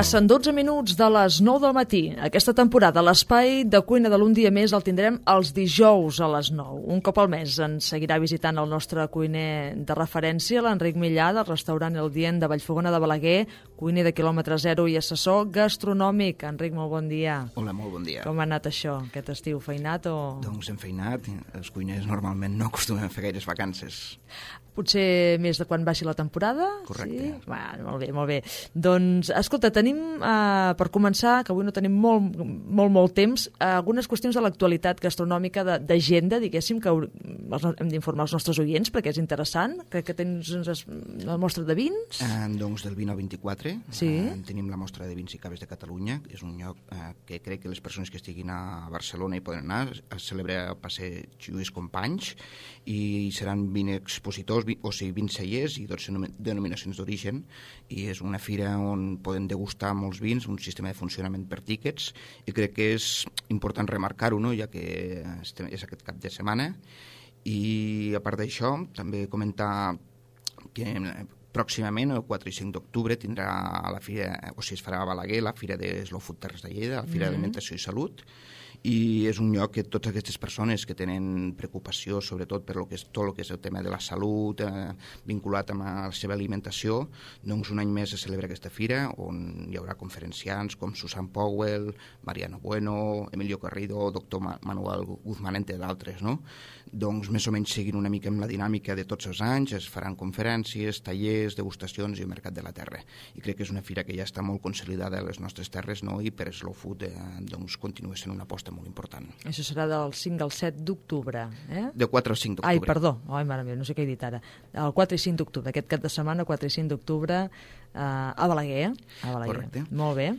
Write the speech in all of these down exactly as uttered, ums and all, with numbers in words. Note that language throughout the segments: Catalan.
Passen dotze minuts de les nou del matí. Aquesta temporada l'espai de cuina de l'Un dia més el tindrem els dijous a les nou. Un cop al mes ens seguirà visitant el nostre cuiner de referència, l'Enric Millà, del restaurant El Dient de Vallfogona de Balaguer, cuiner de quilòmetre zero i assessor gastronòmic. Enric, molt bon dia. Hola, molt bon dia. Com ha anat això, aquest estiu? Feinat o...? Doncs hem feinat. Els cuiners normalment no acostumem a fer gaires vacances. Potser més de quan baixi la temporada? Correcte. Sí? Va, molt bé, molt bé. Doncs, escolta, tenim, eh, per començar, que avui no tenim molt, molt, molt temps, eh, algunes qüestions de l'actualitat gastronòmica d'agenda, diguéssim, que hem d'informar els nostres oients, perquè és interessant. Crec que tens la mostra de vins. Eh, doncs del vint al vint-i-quatre sí. eh, tenim la mostra de vins i caves de Catalunya, que és un lloc eh, que crec que les persones que estiguin a Barcelona hi poden anar. Es celebra el passeig Lluís Companys i seran vint expositors, o sigui, vint cellers i dotze denominacions d'origen, i és una fira on poden degustar molts vins, un sistema de funcionament per tíquets, i crec que és important remarcar-ho, no?, ja que és aquest cap de setmana. I a part d'això, també comentar que pròximament, el quatre i cinc d'octubre, tindrà la fira, o sigui, es farà a Balaguer, la fira de Slow Food Terres de Lleida, la fira mm-hmm. d'Alimentació i Salut, i és un lloc que totes aquestes persones que tenen preocupació, sobretot per lo que és, tot el que és el tema de la salut, eh, vinculat amb la seva alimentació, doncs un any més es celebra aquesta fira, on hi haurà conferenciants com Susan Powell, Mariano Bueno, Emilio Carrido, doctor Manuel Guzmán, entre d'altres, no? Doncs més o menys seguint una mica amb la dinàmica de tots els anys, es faran conferències, tallers, degustacions i el Mercat de la Terra. I crec que és una fira que ja està molt consolidada a les nostres terres, no?, i per Slow Food eh, doncs continua sent una aposta molt important. Això serà del cinc al set d'octubre, eh? De quatre al cinc d'octubre. Ai, perdó, ai, mare meva, no sé què he dit ara. El quatre i cinc d'octubre, aquest cap de setmana, quatre i cinc d'octubre, eh, a Balaguer. A Balaguer. Correcte. Molt bé.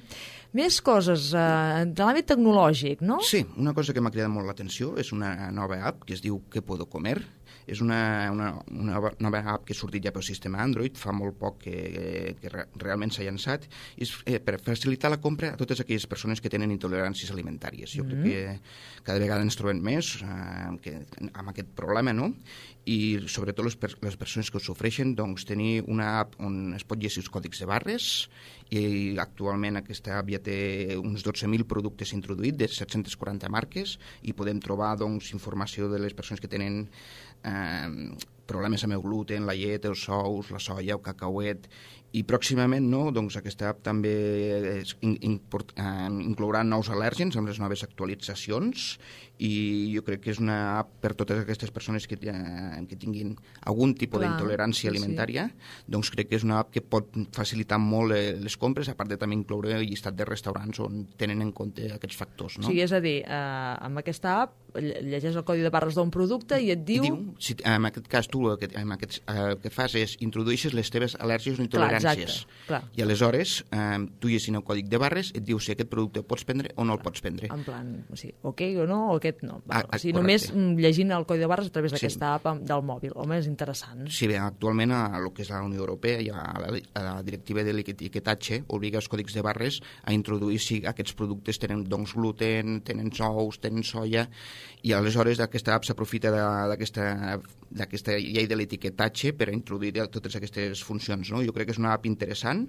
Més coses eh, de l'àmbit tecnològic, no? Sí, una cosa que m'ha cridat molt l'atenció és una nova app que es diu ¿Qué puedo comer? És una, una, una nova app que ha sortit ja pel sistema Android, fa molt poc que, que realment s'ha llançat, i és eh, per facilitar la compra a totes aquelles persones que tenen intoleràncies alimentàries. Jo mm-hmm. crec que cada vegada ens trobem més eh, que, amb aquest problema, no? I sobretot les, per, les persones que ho sofreixen, doncs tenir una app on es pot llegir els còdics de barres, i actualment aquesta app ja té uns dotze mil productes introduïts de set-centes quaranta marques, i podem trobar doncs informació de les persones que tenen eh, problemes amb el gluten, la llet, els ous, la soia, el cacauet, i pròximament no, doncs aquesta app també es, in, import, eh, inclourà nous al·lèrgens amb les noves actualitzacions, i jo crec que és una app per totes aquestes persones que, eh, que tinguin algun tipus Clar, d'intolerància sí, alimentària, sí. doncs crec que és una app que pot facilitar molt les compres, a part de també incloure el llistat de restaurants on tenen en compte aquests factors. No? Sí, és a dir, eh, amb aquesta app llegeix el codi de barres d'un producte i et diu... I diu si, en aquest cas tu el que, en aquest, eh, el que fas és introdueixes les teves al·lèrgies o intoleràncies. Clar, exacte, clar. I aleshores eh, tu llegint el còdic de barres et diu si aquest producte el pots prendre o no el pots prendre. En plan, o sigui, ok o no, o aquest no. Va, ah, o sigui, només llegint el codi de barres a través d'aquesta sí. app del mòbil. Home, és interessant. Sí, bé, actualment a el que és la Unió Europea i a la, a la directiva de l'etiquetatge obliga els còdics de barres a introduir si aquests productes tenen doncs gluten, tenen ous, tenen soia, i aleshores aquesta app s'aprofita d'aquesta d'aquesta llei de l'etiquetatge per a introduir totes aquestes funcions. No? Jo crec que és una app interessant,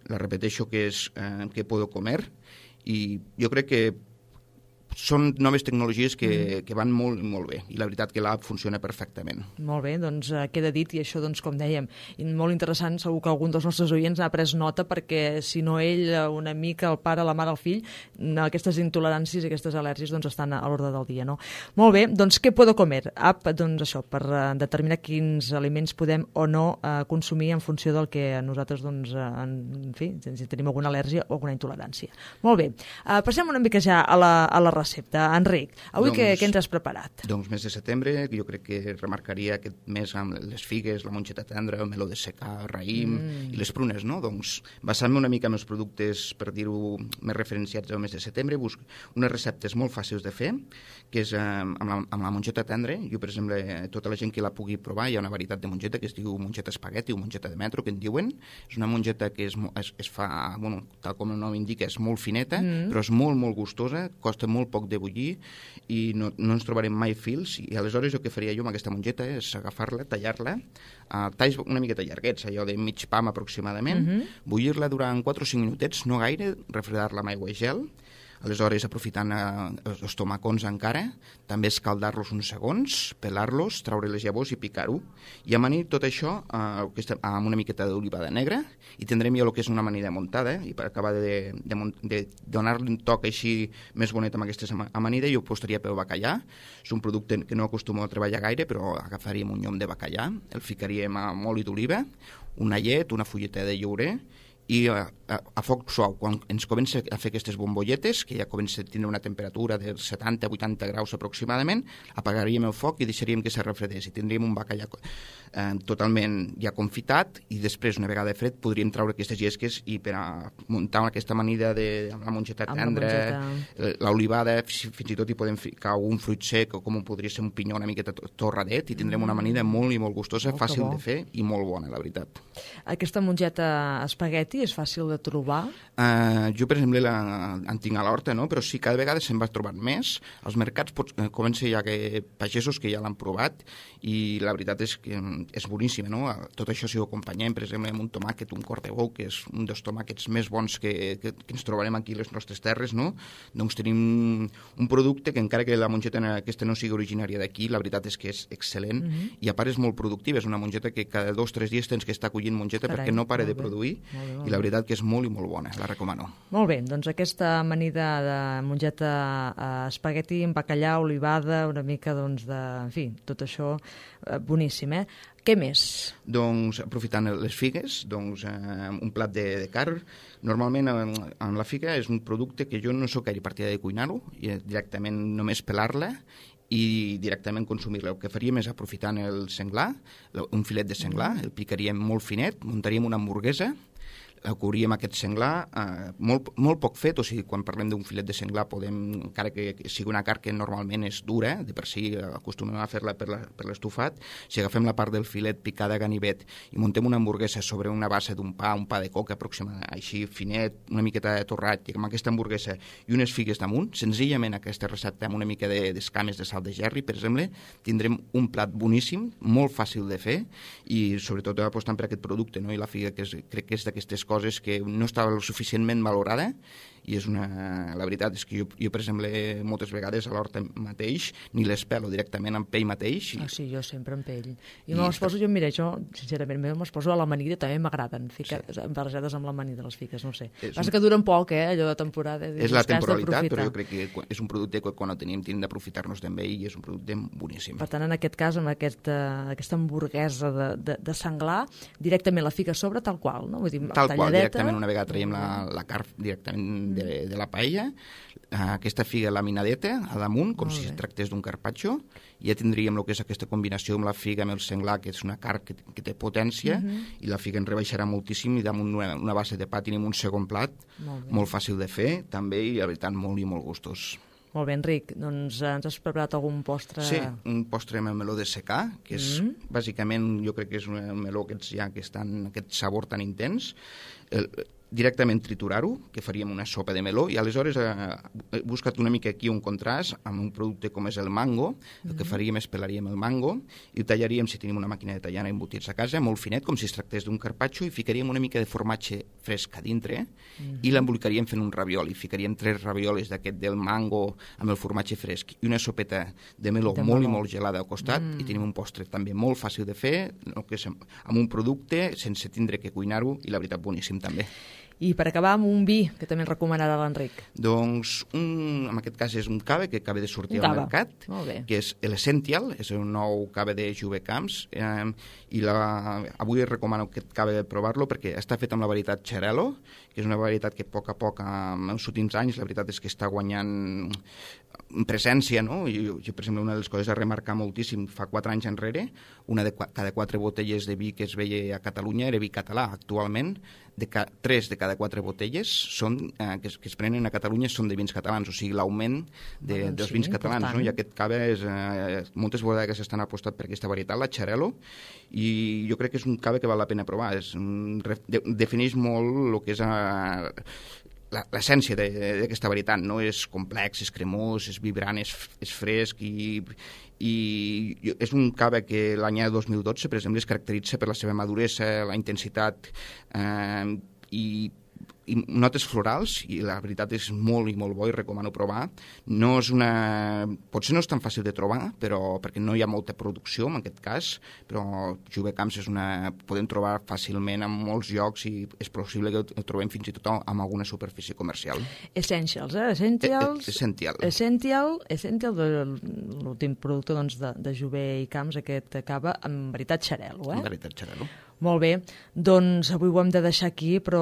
la repeteixo que és eh, que puedo comer, i jo crec que són noves tecnologies que, mm. que van molt, molt bé, i la veritat que l'app funciona perfectament. Molt bé, doncs eh, queda dit, i això, doncs, com dèiem, molt interessant, segur que algun dels nostres oients ha pres nota, perquè si no ell, un amic, el pare, la mare, el fill, aquestes intoleràncies i aquestes al·lèrgies doncs, estan a l'ordre del dia, no? Molt bé, doncs què puedo comer? App, doncs això, per uh, determinar quins aliments podem o no uh, consumir en funció del que nosaltres, doncs, uh, en, en fi, si tenim alguna al·lèrgia o alguna intolerància. Molt bé, uh, passem una mica ja a la, a la recepta. Enric, avui doncs, què, què ens has preparat? Doncs mes de setembre, jo crec que remarcaria aquest mes amb les figues, la monxeta tendra, el meló de secà, el raïm mm. i les prunes, no? Doncs basant-me una mica en els productes, per dir-ho, més referenciats al mes de setembre, busco unes receptes molt fàcils de fer, que és eh, amb, la, amb la monxeta tendra. Jo, per exemple, tota la gent que la pugui provar, hi ha una varietat de monxeta que es diu monxeta espagueti o monxeta de metro, que en diuen. És una monxeta que es, es, es fa, bueno, tal com el nom indica, és molt fineta, mm. però és molt, molt gustosa, costa molt poc de bullir i no, no ens trobarem mai fils, i aleshores el que faria jo amb aquesta mongeta és agafar-la, tallar-la, a talls una miqueta llarguets, allò de mig pam aproximadament, uh-huh. bullir-la durant quatre o cinc minutets, no gaire, refredar-la amb aigua i gel, aleshores aprofitant eh, els tomacons encara, també escaldar-los uns segons, pelar-los, traure les llavors i picar-ho, i amanir tot això eh, amb una miqueta d'olivada negra, i tindrem ja el que és una amanida muntada, i per acabar de, de, de donar-li un toc així més bonet amb aquesta amanida, jo postaria pel bacallà. És un producte que no acostumo a treballar gaire, però agafaríem un llom de bacallà, el ficaríem amb oli d'oliva, una llet, una fulleta de llaurer, i a, a, a foc suau, quan ens comença a fer aquestes bombolletes, que ja comença a tindre una temperatura de setanta a vuitanta graus aproximadament, apagaríem el foc i deixaríem que se refredés, i tindríem un bacallà eh, totalment ja confitat, i després, una vegada fred, podríem traure aquestes llesques i per a muntar aquesta amanida de, amb la mongeta tendra, l'olivada, fins i tot hi podem ficar un fruit sec, o com podria ser un pinyó una miqueta torradet, i tindrem mm. una amanida molt i molt gustosa, molt fàcil bo. de fer i molt bona, la veritat. Aquesta mongeta espagueti és fàcil de trobar? Uh, jo, per exemple, la, en tinc a l'horta, no? Però sí, cada vegada se'n va trobant més. Als mercats pots, eh, comença ja que pagesos que ja l'han provat, i la veritat és que és boníssima, no? Tot això si ho acompanyem, per exemple, amb un tomàquet, un cor de bou, que és un dels tomàquets més bons que, que, que ens trobarem aquí a les nostres terres, no? Doncs tenim un producte que, encara que la mongeta aquesta no sigui originària d'aquí, la veritat és que és excel·lent, mm-hmm. i a part és molt productiva. És una mongeta que cada dos o tres dies tens que estar collint mongeta Carai, perquè no para de produir, i la veritat que és molt i molt bona, la recomano. Molt bé, doncs aquesta amanida de mongeta eh, espagueti amb bacallà, olivada, una mica doncs de... En fi, tot això eh, boníssim, eh? Què més? Doncs, aprofitant les figues, doncs, eh, un plat de, de carn. Normalment, en, en la figa és un producte que jo no sóc gaire partidari de cuinar-ho, i directament només pelar-la i directament consumir-la. El que faríem és, aprofitant el senglar, un filet de senglar, el picaríem molt finet, muntaríem una hamburguesa, cobríem aquest senglar, eh, molt, molt poc fet, o sigui, quan parlem d'un filet de senglar podem, encara que sigui una carn que normalment és dura, de per si acostumem a fer-la per, la, per l'estufat, si agafem la part del filet picada a ganivet i muntem una hamburguesa sobre una base d'un pa, un pa de coca aproximadament, així finet, una miqueta de torrat, i amb aquesta hamburguesa i unes figues damunt, senzillament aquesta recepta amb una mica de, d'escames de sal de gerri, per exemple, tindrem un plat boníssim, molt fàcil de fer, i sobretot apostant per aquest producte, no? I la figa, que és, crec que és d'aquestes coses coses que no estava suficientment valorada, i és una... La veritat és que jo, jo per exemple, moltes vegades a l'horta mateix ni les pelo directament amb pell mateix. I... Ah, sí, jo sempre amb pell. I, I me'ls poso, jo, mira, jo, sincerament, me'ls poso a l'amanida, també m'agraden, ficar, sí. barrejades amb l'amanida, les fiques, no sé. És Passa un... que duren poc, eh, allò de temporada. És la temporalitat, però jo crec que és un producte que quan el tenim tenim d'aprofitar-nos d'ell, i és un producte boníssim. Per tant, en aquest cas, amb aquesta, aquesta hamburguesa de, de, de senglar, directament la fica a sobre tal qual, no? Vull dir, tal talladeta... qual, directament, una vegada traiem la, la carn directament de, de la paella, aquesta figa laminadeta a damunt, com si es tractés d'un carpaccio, i ja tindríem el que és aquesta combinació amb la figa, amb el senglar, que és una carn que, que té potència, uh-huh. i la figa en rebaixarà moltíssim, i damunt una, una base de pa tenim un segon plat, molt, molt fàcil de fer, també, i la veritat, molt i molt gustós. Molt bé, Enric. Doncs ens has preparat algun postre? Sí, un postre amb el meló de secà, que és, mm. bàsicament, jo crec que és un meló que ja que està en aquest sabor tan intens. El, directament triturar-ho, que faríem una sopa de meló, i aleshores eh, he buscat una mica aquí un contrast amb un producte com és el mango. El mm. que faríem és pelaríem el mango i ho tallaríem, si tenim una màquina de tallar embotits a casa, molt finet, com si es tractés d'un carpaccio, i ficaríem una mica de formatge fresc a dintre, mm. i l'embolicaríem fent un ravioli. Ficaríem tres raviolis d'aquest del mango amb el formatge fresc i una sopeta de meló de molt meló. i molt gelada al costat, mm. i tenim un postre també molt fàcil de fer, no, que és amb un producte sense tindre que cuinar-ho, i la veritat boníssim també. I per acabar amb un vi, que també ens recomanarà l'Enric. Doncs, un, en aquest cas és un cava que acaba de sortir al mercat, que és l'Essential, és un nou cava de Juve Camps, eh, i la, avui recomano aquest cava de provar-lo perquè està fet amb la varietat Xarel·lo, que és una varietat que a poc a poc, en els últims anys, la veritat és que està guanyant presència, no? I, jo, per exemple, una de les coses a remarcar moltíssim, fa quatre anys enrere, una de cada quatre botelles de vi que es veia a Catalunya era vi català. Actualment, de ca, tres de cada quatre botelles són, eh, que, es, que es prenen a Catalunya són de vins catalans, o sigui, l'augment de, ah, dels sí, vins catalans, no? I aquest cava és, eh, moltes bodegues estan apostat per aquesta varietat, la Xarel·lo, i jo crec que és un cava que val la pena provar. És, de, defineix molt el que és eh, l'essència d'aquesta varietat, no? És complex, és cremós, és vibrant, és, és fresc i, i és un cava que l'any dos mil dotze, per exemple, es caracteritza per la seva maduresa, la intensitat eh, i i notes florals, i la veritat és molt i molt bo i recomano provar. No és una... Potser no és tan fàcil de trobar, però perquè no hi ha molta producció en aquest cas, però Jover Camps és una... podem trobar fàcilment en molts llocs i és possible que ho trobem fins i tot en alguna superfície comercial. Essentials, eh? Essentials... Essential. Essential, Essential de l'últim producte doncs, de, de Jover i Camps, aquest cava, en veritat xarel·lo, eh? En veritat xarel·lo. Molt bé, doncs avui ho hem de deixar aquí, però,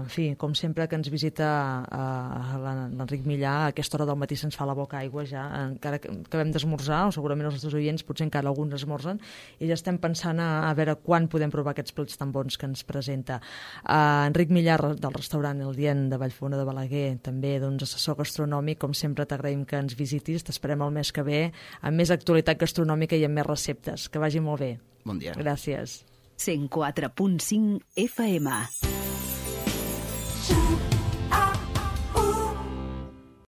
en fi, com sempre que ens visita uh, l'Enric Millà, a aquesta hora del matí se'ns fa la boca aigua ja, encara que acabem d'esmorzar, o segurament els nostres oients, potser encara alguns esmorzen, i ja estem pensant a, a veure quan podem provar aquests plats tan bons que ens presenta. Uh, Enric Millà, del restaurant El Dient de Vallfogona de Balaguer, també doncs, assessor gastronòmic, com sempre t'agraïm que ens visitis, t'esperem el mes que ve, amb més actualitat gastronòmica i amb més receptes. Que vagi molt bé. Bon dia. Gràcies. cent quatre punt cinc F M.